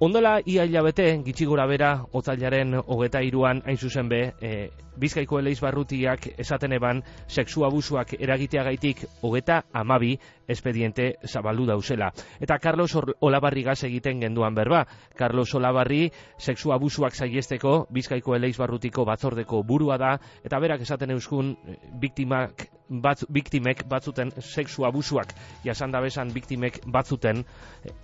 Ondela ia hilabete, gitxi gora bera, otsailaren 23an hain zuzen be, Bizkaiko Eleizbarrutiak esaten eban sexu abusuak eragiteagaitik 32 espediente zabaldu dauzela. Eta Carlos Olabarrigaz egiten genduan berba. Carlos Olabarri sexu abusuak saihesteko Bizkaiko Eleizbarrutiko batzordeko burua da, eta berak esaten euskun biktimek batzuten sexu abusuak jasanda bezan biktimek batzuten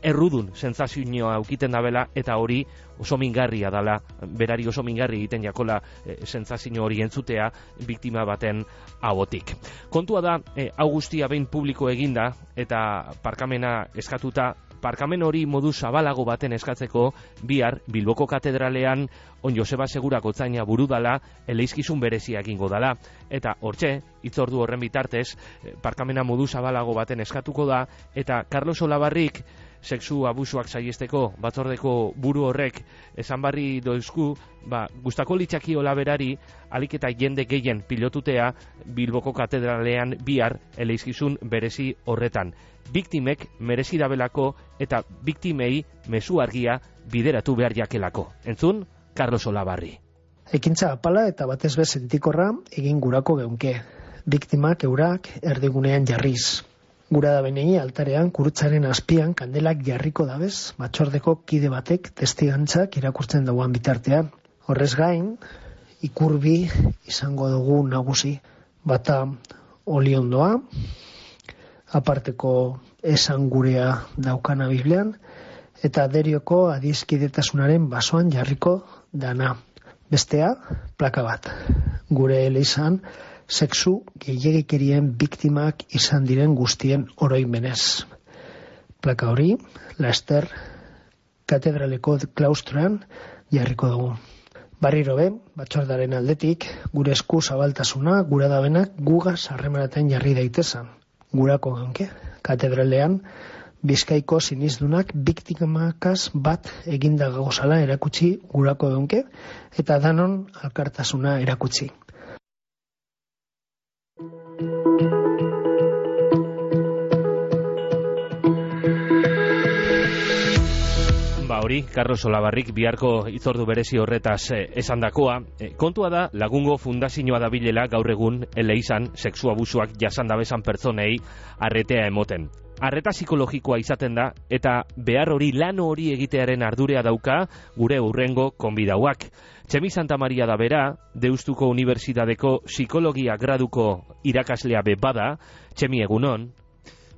errudun sentsazioa aukiten dabela, eta hori oso mingarria dala, berari oso mingarri egiten jakola sentsazio hori entzutea biktima baten ahotik. Kontua da, hau guztia behin publiko eginda eta parkamena eskatuta, parkamen hori modu zabalago baten eskatzeko bihar Bilboko katedralean On Joseba Segura gotzaina buru dala eleizkizun berezia egingo dala. Eta hortxe, hitzordu horren bitartez, parkamena modu zabalago baten eskatuko da, eta Carlos Olabarrik sexu abusuak saihesteko batzordeko buru horrek esan barri doizku, gustako litzaki Olaberari alik eta jende gehien pilotutea Bilboko katedralean bihar eleizkizun berezi horretan. Biktimek merezi dabelako eta biktimei mezu argia bideratu behar jakelako. Entzun, Carlos Olabarri. Ekintza apala eta batez be sentikorra egin gurako geunke. Biktimak eurak erdigunean jarriz. Gura da benei altarean kurutzaren azpian kandelak jarriko dabez, batzordeko kide batek testigantzak irakurtzen dauan bitartean. Horrez gain, ikurbi izango dugu nagusi. Bata oliondoa, aparteko esan gurea daukana Biblian, eta derioko adizkidetasunaren basoan jarriko dana. Bestea, plaka bat. Gure eleizan, sexu gehiegikerien biktimak izan diren guztien oroimenez. Plaka hori, Laster katedraleko klaustroan jarriko dugu. Barriro be, batzordaren aldetik, gure esku zabaltasuna, gura dabenak gugaz harremanaten jarri daitezan. Gurako geunke, katedralean, Bizkaiko sinizdunak biktimakaz bat eginda gozala erakutsi gurako geunke, eta danon alkartasuna erakutsi. Hori, Carlos Olabarrik biharko hitzordu berezi horretaz esandakoa. Kontua da, Lagungo Fundazioa dabilela gaur egun eleizan sexu abusuak jasanda bezan pertsonei arretea emoten. Arreta psikologikoa izaten da, eta behar hori lan hori egitearen ardurea dauka gure hurrengo konbidauak. Txemi Santa Maria da bera, Deustuko Unibertsitateko psikologia graduko irakaslea be bada. Txemi, egunon?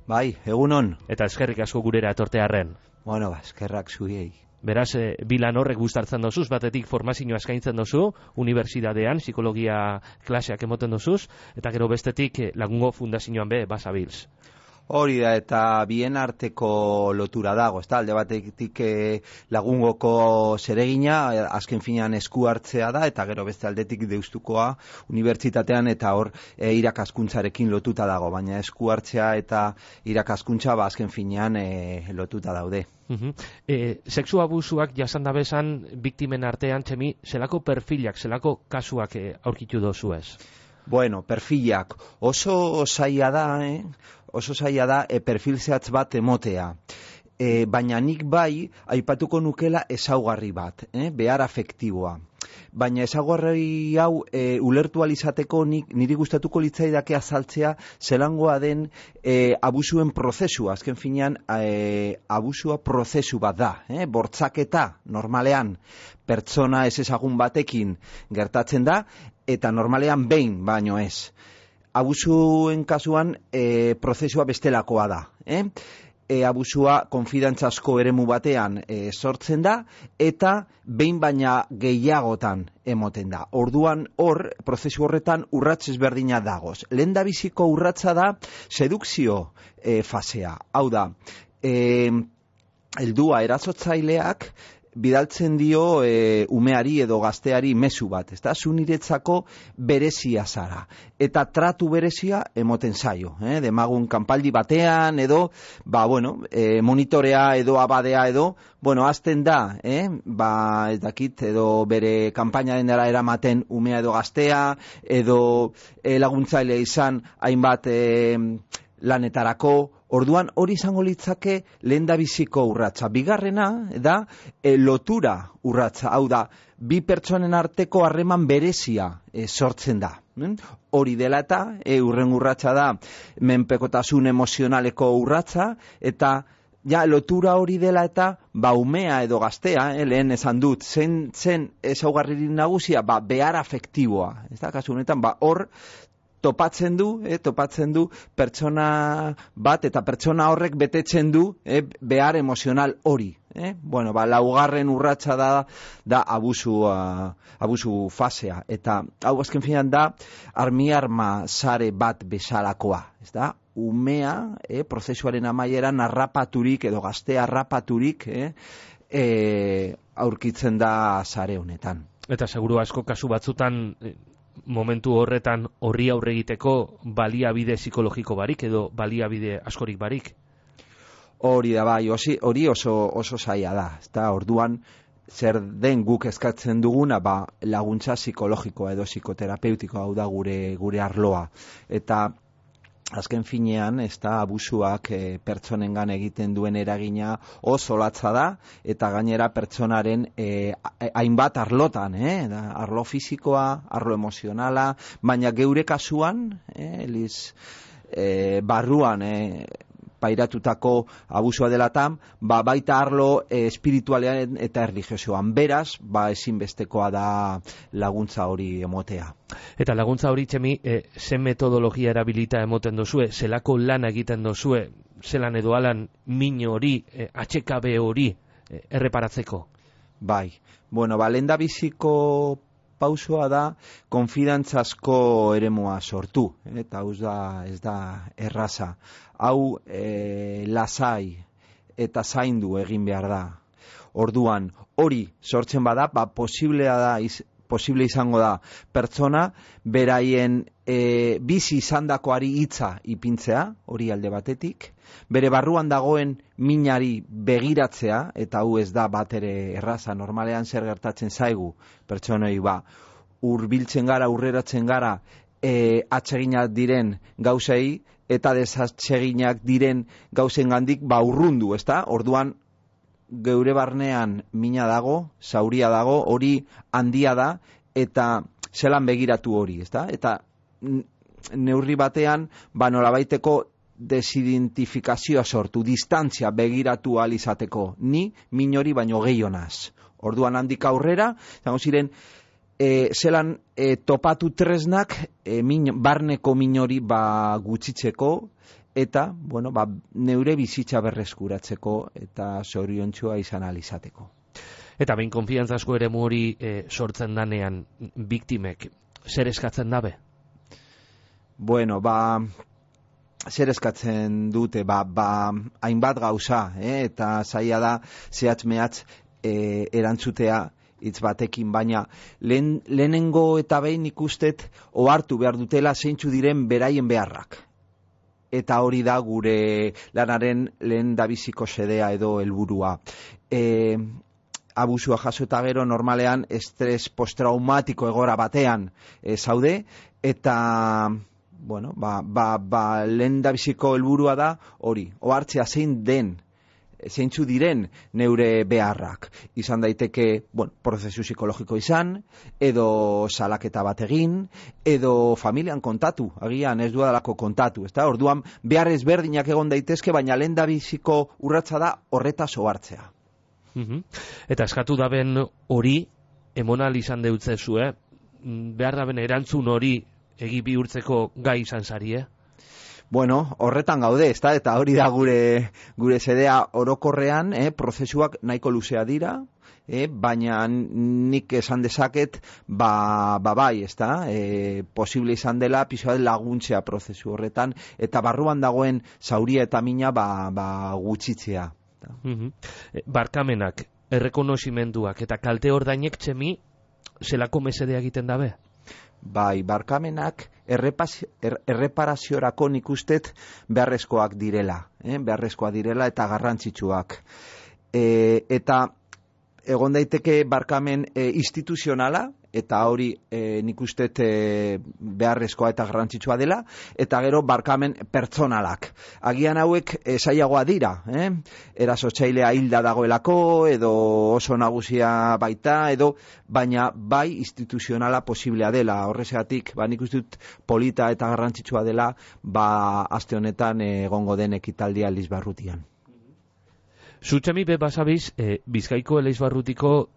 Bai, egunon. Eta eskerrik asko gurera etortearren. Bueno, eskerrak zuei. Beraz, bilan horrek gustartzen dozuz, batetik formazioa eskaintzen dozu, unibertsitatean, psikologia klaseak emoten dozuz, eta gero bestetik Lagungo Fundazioan be basabilz. Hori da, eta bien arteko lotura dago, ez da, alde batetik Lagungoko zeregina, azken finean esku hartzea da, eta gero beste aldetik Deustukoa unibertsitatean, eta hor irakaskuntzarekin lotuta dago, baina esku hartzea eta irakaskuntza azken finean lotuta daude. Sexu abusuak jasanda bezan biktimen artean, Txemi, zelako perfilak, zelako kasuak aurkitu dozu ez? Bueno, perfilak oso zaila da, oso zaila da perfil zehatz bat emotea. Baina nik bai aipatuko nukela ezaugarri bat, behar afektiboa. Baina ezaugarri hau ulertu alizateko niri gustatuko litzaidake azaltzea zelangoa den abusuen prozesua. Azken finean abusua prozesu bat da, bortzaketa normalean pertsona ez ezagun batekin gertatzen da, eta normalean behin baino ez. Abusuen kasuan prozesua bestelakoa da. Abusua konfidantzazko eremu batean sortzen da, eta behin baina gehiagotan emoten da. Orduan hor, prozesu horretan urrats ezberdina dagoz. Lehendabiziko urratsa da sedukzio fasea. Hau da, heldua erasotzaileak bidaltzen dio umeari edo gazteari mezu bat, ezta? Zu niretzako berezia zara. Eta tratu berezia emoten zaio, demagun kanpaldi batean edo, monitorea edo abadea edo, azten da, ez dakit, edo bere kanpainaren dara eramaten umea edo gaztea, edo laguntzaile izan hainbat lanetarako, Orduan hori izango litzake lehendabiziko urratsa. Bigarrena da lotura urratsa. Hau da, bi pertsonen arteko harreman berezia sortzen da. Hori dela eta hurrengo urratsa da menpekotasun emozionaleko urratsa, eta ja, lotura hori dela eta umea edo gaztea, lehen esan dut, zen ezaugarririk nagusia, behar afektiboa. Ez da, kasu honetan, hor topatzen du pertsona bat, eta pertsona horrek betetzen du behar emozional hori. Bueno, laugarren urratsa da abusu fasea, eta hau azken finean da arma sare bat bezalakoa, ez da? Umea, prozesuaren amaieran harrapaturik edo gaztea harrapaturik aurkitzen da sare honetan. Eta seguru asko kasu batzutan momentu horretan horri aurre egiteko baliabide psikologiko barik edo baliabide askorik barik? Hori da bai, hori oso zaila da. Eta orduan zer den guk eskatzen duguna, laguntza psikologikoa edo psikoterapeutikoa, hau da gure arloa. Eta azken finean, abusuak pertsonengan egiten duen eragina oso latza da, eta gainera pertsonaren hainbat arlotan, arlo fisikoa, arlo emozionala, baina geure kasuan, barruan pairatutako abusua delatan, baita arlo espiritualean eta erlijiosoan. Beraz, ezinbestekoa da laguntza hori emotea. Eta laguntza hori, Txemi, zen metodologia erabilita emoten dozue, zelako lan egiten dozue, zelan edo alan min hori, atxekabe hori erreparatzeko? Bai, bueno, lehendabiziko pausoa da konfidantzazko eremua sortu, eta ez da erraza. Hau lasai eta zaindu egin behar da. Orduan, hori sortzen bada, posible izango da pertsona beraien bizi izandakoari hitza ipintzea, hori alde batetik, bere barruan dagoen minari begiratzea, eta hau ez da bat ere erraza, normalean zer gertatzen zaigu pertsonei hurbiltzen gara, aurreratzen gara atseginak diren gauzei, eta desatseginak diren gauzengandik urrundu, ezta? Orduan geure barnean mina dago, zauria dago, hori handia da, eta zelan begiratu hori, ezta? Eta neurri batean, nolabaiteko desidentifikazioa sortu, distantzia begiratu ahal izateko, ni min hori baino gehionaz. Orduan handik aurrera, zango ziren, zelan topatu tresnak barneko min hori gutxitzeko, eta, neure bizitza berreskuratzeko eta zoriontsua izan ahal izateko. Eta behin konfiantzazko eremu hori sortzen danean biktimek, zer eskatzen dabe? Bueno, zer eskatzen dute, hainbat gauza, eta zaila da zehatz mehatz erantzutea hitz batekin, baina lehenengo eta behin ikustet ohartu behar dutela zeintzu diren beraien beharrak. Eta hori da gure lanaren lehendabiziko xedea edo helburua. Abusua jaso eta gero normalean estres postraumatiko egoera batean zaude, eta lehendabiziko helburua da hori, ohartzea zeintzu diren neure beharrak. Izan daiteke, prozesu psikologiko izan, edo salaketa bat egin, edo familian kontatu, agian ez duadalako kontatu, ezta? Orduan, behar ezberdinak egon daitezke, baina lehendabiziko urratsa da horretaz ohartzea. Eta eskatu daben hori, emonal izan deutzezue, behar daben erantzun hori egi bihurtzeko gai izan zari, Bueno, horretan gaude, ezta? Eta hori da gure zedea orokorrean, prozesuak nahiko luzea dira, baina nik esan dezaket, bai, ezta? Posible izan dela pixoa laguntzea prozesu horretan, eta barruan dagoen zauria eta mina gutxitzea. Barkamenak, errekonozimenduak eta kalte ordainek, Txemi, zelako mesedea egiten dabe? Bai, barkamenak erreparaziorako nik ustet beharrezkoak direla, eta garrantzitsuak. Eta egon daiteke barkamen instituzionala, eta hori nik uste beharrezkoa eta garrantzitsua dela, eta gero barkamen pertsonalak. Agian hauek zailagoa dira, erasotzailea hilda dagoelako, edo oso nagusia baita, edo baina bai instituzionala posiblea dela. Horregatik, nik uste dut polita eta garrantzitsua dela, aste honetan egongo den ekitaldia Elizbarrutian. Zutxemi be basabiz, Bizkaiko Elizbarrutiko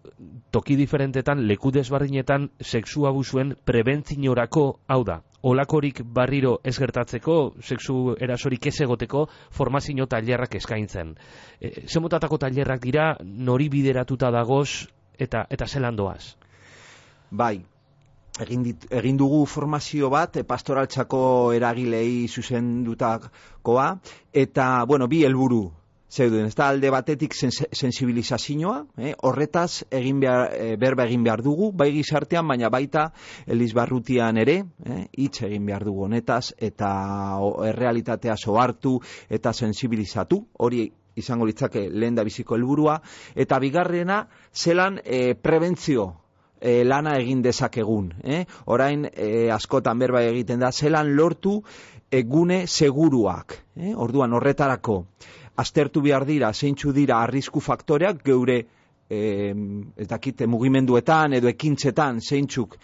toki diferentetan, leku desbardinetan, sexu abusuen prebentzinorako, hau da, olakorik barriro ez gertatzeko, sexu erasorik ez egoteko, formazio tailerrak eskaintzen. Zemotatako tailerrak dira, nori bideratuta dagoz, eta zelan doaz? Bai, egin dugu formazio bat, pastoraltzako eragilei zuzendutakoa, eta, bi helburu zeuden, ez da, alde batetik sensibilizazioa, horretaz berba egin behar dugu, bai gizartean, baina baita Elizbarrutian ere, hitz egin behar dugu honetaz, eta errealitatea sohartu eta sensibilizatu, hori izango litzake lehen da biziko helburua, eta bigarrena, zelan prebentzio lana egin dezakegun. Orain askotan berba egiten da, zelan lortu gune seguruak. Orduan horretarako, aztertu behar dira, zeintzu dira arrisku faktoreak, geure mugimenduetan edo ekintzetan zeintzuk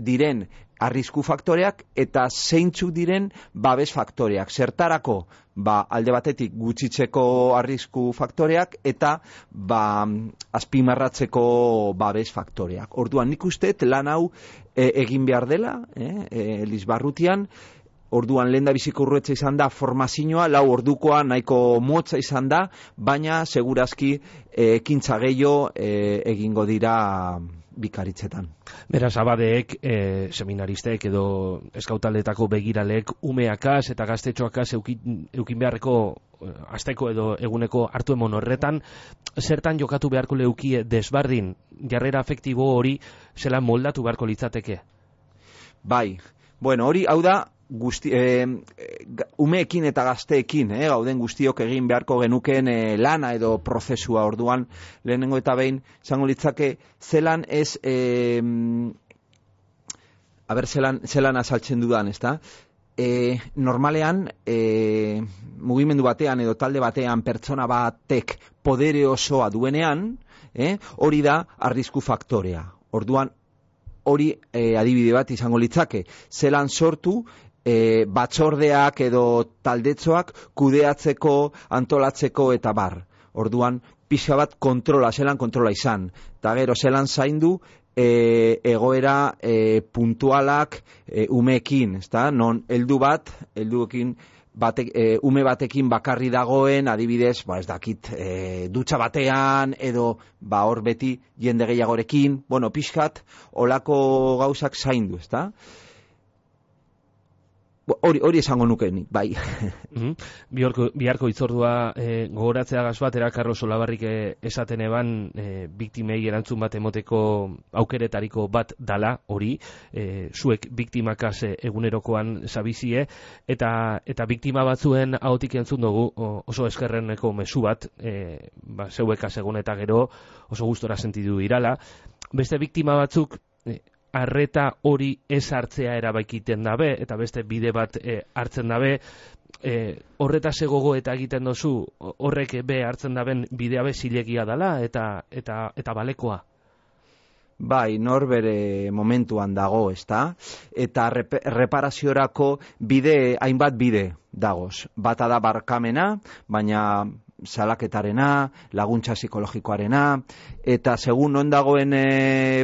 diren arrisku faktoreak eta zeintzuk diren babes faktoreak. Zertarako, alde batetik gutxitzeko arrisku faktoreak eta azpimarratzeko babes faktoreak. Orduan nik uste lan hau egin behar dela, Elizbarrutian. Orduan lehen da biziko urruetza izan da formazioa, 4 ordukoa nahiko motza izan da, baina segurazki ekintza gehiago egingo dira bikaritzetan. Beraz, abadeek, seminaristek edo eskautaldeetako begiralek umeakaz eta gaztetxoakaz eukin beharreko asteko edo eguneko hartu emon horretan, zertan jokatu beharko leukie desbardin jarrera afektibo hori zelan moldatu beharko litzateke? Bai, hori hau da, umeekin eta gazteekin, gauden guztiok egin beharko genuken lana edo prozesua. Orduan lehenengo eta behin izango litzake zelan ez zelan azaltzen dudan, ezta? Normalean mugimendu batean edo talde batean pertsona batek podere osoa duenean, hori da arrisku faktorea. Orduan hori adibide bat izango litzake, zelan sortu batzordeak edo taldetxoak kudeatzeko, antolatzeko eta bar. Orduan, pixka bat zelan kontrola izan. Eta gero, zelan zaindu egoera puntualak umeekin, ezta? Non ume batekin bakarri dagoen, adibidez, ez dakit, dutxa batean, edo hor beti jende gehiagorekin, pixkat, olako gauzak zaindu, ezta? Hori esango nukenik, bai. Biharko itzordua gogoratzea batera, Carlos Olabarrik esaten eban biktimei erantzun bat emoteko aukeretariko bat dala, hori, zuek biktimakaz egunerokoan zabizie, eta biktima batzuen ahotik entzun dugu oso eskerreneko mezu bat, zeuekaz egun eta gero oso gustora sentidu irala. Beste biktima batzuk arreta hori ez hartzea erabaikiten dabe, eta beste bide bat hartzen dabe, horretaz egogo eta egiten dozu, horrek hartzen daben bidea be zilegia dela, eta balekoa. Bai, nor bere momentuan dago, ezta? Eta reparaziorako hainbat bide dagoz. Bata da barkamena, baina salaketarena, laguntza psikologikoarena, eta segun non dagoen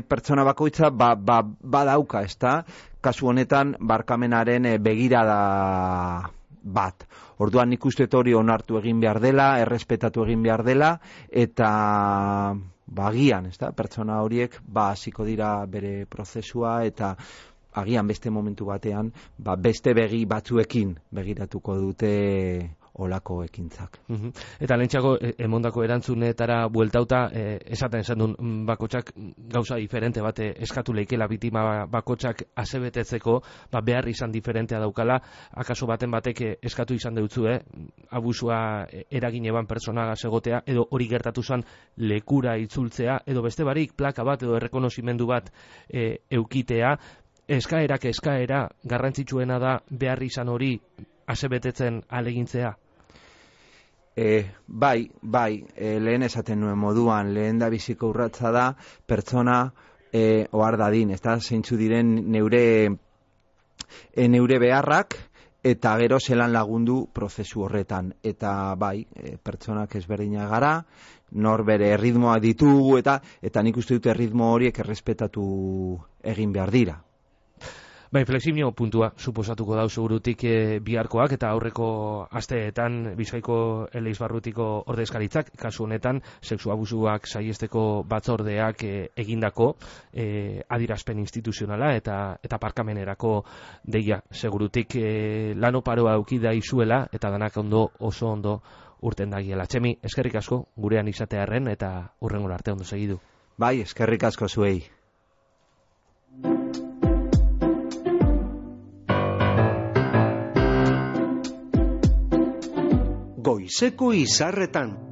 pertsona bakoitza, badauka, ezta? Kasu honetan, barkamenaren begirada bat. Orduan nik uste hori onartu egin behar dela, errespetatu egin behar dela, eta agian, ezta? Pertsona horiek hasiko dira bere prozesua, eta agian beste momentu batean, beste begi batzuekin begiratuko dute olako ekintzak. Eta lehentxako emondako erantzunetara bueltauta, esaten zendun bakotxak gauza diferente bat eskatu leikela bitima bakotxak asebetetzeko, behar izan diferentea daukala, akaso baten batek eskatu izan deutzu, abusua eragin eban pertsona segotea, edo hori gertatu zen lekura itzultzea, edo beste barik plaka bat edo errekonozimendu bat eukitea, eskaera garrantzitsuena da behar izan hori asebetetzen alegintzea? Bai, lehen esaten nuen moduan, lehen da biziko urratza da, pertsona ohar dadin, ez da, zeintzu diren neure beharrak, eta gero zelan lagundu prozesu horretan. Eta bai, pertsonak ezberdinak gara, nor bere erritmoa ditugu, eta nik uste dute erritmo horiek errespetatu egin behar dira. Bai, inflexio puntua suposatuko dau segurutik biharkoak eta aurreko asteetan Bizkaiko Eleizbarrutiko ordezkaritzak, kasu honetan sexu abusuak saihesteko batzordeak egindako adierazpen instituzionala eta parkamenerako deia. Segurutik lano paroa eukida izuela eta danak oso ondo urten dagiela. Txemi, eskerrik asko gurean izatearren eta hurrengora arte ondo segidu. Bai, eskerrik asko zuei. Goizeko izarretan.